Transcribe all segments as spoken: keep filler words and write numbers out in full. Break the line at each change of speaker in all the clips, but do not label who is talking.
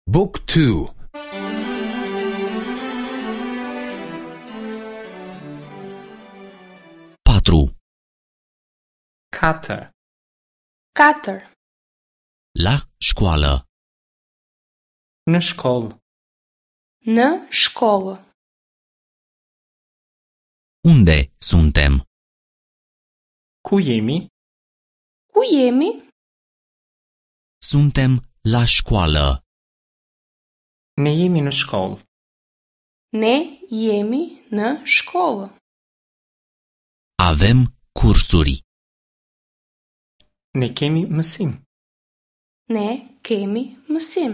Book two.
Patru.
Katër.
Katër.
La școală.
Në shkollë.
Në shkollë.
Unde suntem?
Ku jemi?
Ku jemi?
Suntem la școală.
Ne jemi në shkollë.
Ne jemi në shkollë.
Avem cursuri.
Ne kemi mësim.
Ne kemi mësim.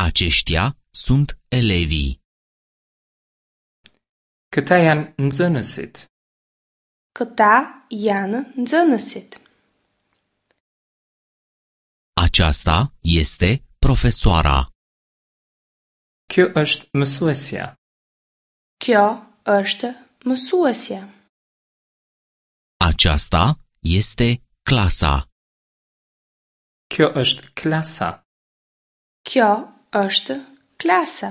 Aceștia sunt elevii.
Këta janë nxënësit.
Këta janë nxënësit.
Aceasta este profesoara.
Kjo është mësuesja.
Kjo është mësuesja.
Aceasta este clasa.
Kjo është klasa.
Kjo është klasa.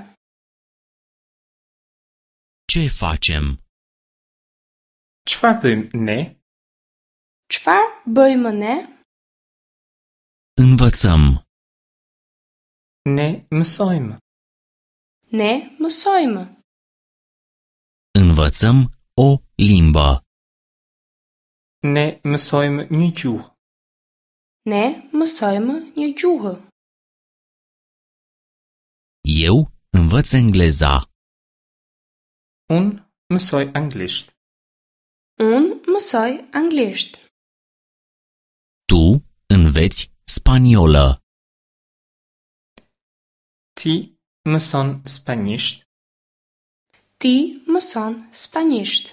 Ce facem?
Çfarë bëjmë ne?
Çfarë bëjmë ne?
Învățăm.
Ne mësojmë.
Ne mësojmë.
Învățăm o limbă.
Ne mësojmë një gjuhë.
Ne mësojmë një gjuhë.
Eu învăț engleza.
Unë mësoj anglisht.
Unë mësoj anglisht.
Tu înveți spaniolă.
Ti mëson spanjisht.
Ti mëson spanjisht.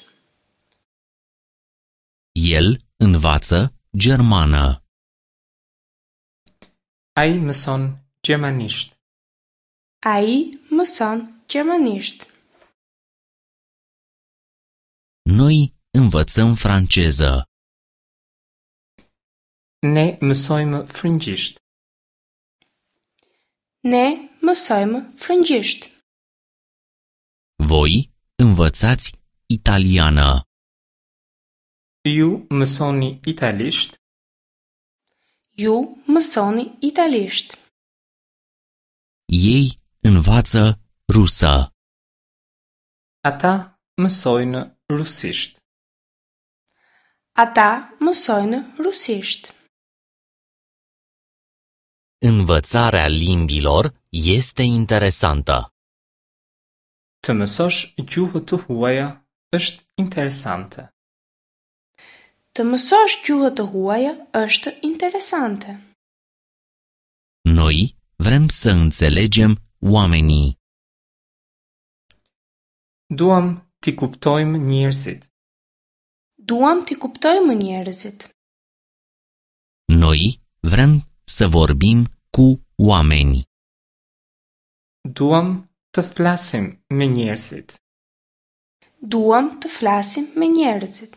El învață germană.
Ai mëson gjermanisht.
Ai mëson gjermanisht.
Noi învățăm franceză.
Ne mësojmë frëngjisht.
Ne mësojmë frëngjisht.
Voi învățați italiană.
Ju mësoni italisht.
Ju mësoni italisht.
Ei învață rusă.
Ata mësojnë rusisht.
Ata mësojnë rusisht.
Învățarea limbilor este interesantă.
Të mësosh gjuhë të huaja është interesante.
Të mësosh gjuhë të huaja është interesante.
Noi vrem să înțelegem oamenii.
Duam t'i kuptojmë njerëzit.
Duam t'i kuptojmë njerëzit.
Noi vrem să vorbim cu oameni.
Duam të flasim me njerëzit.
Duam të flasim me njerëzit.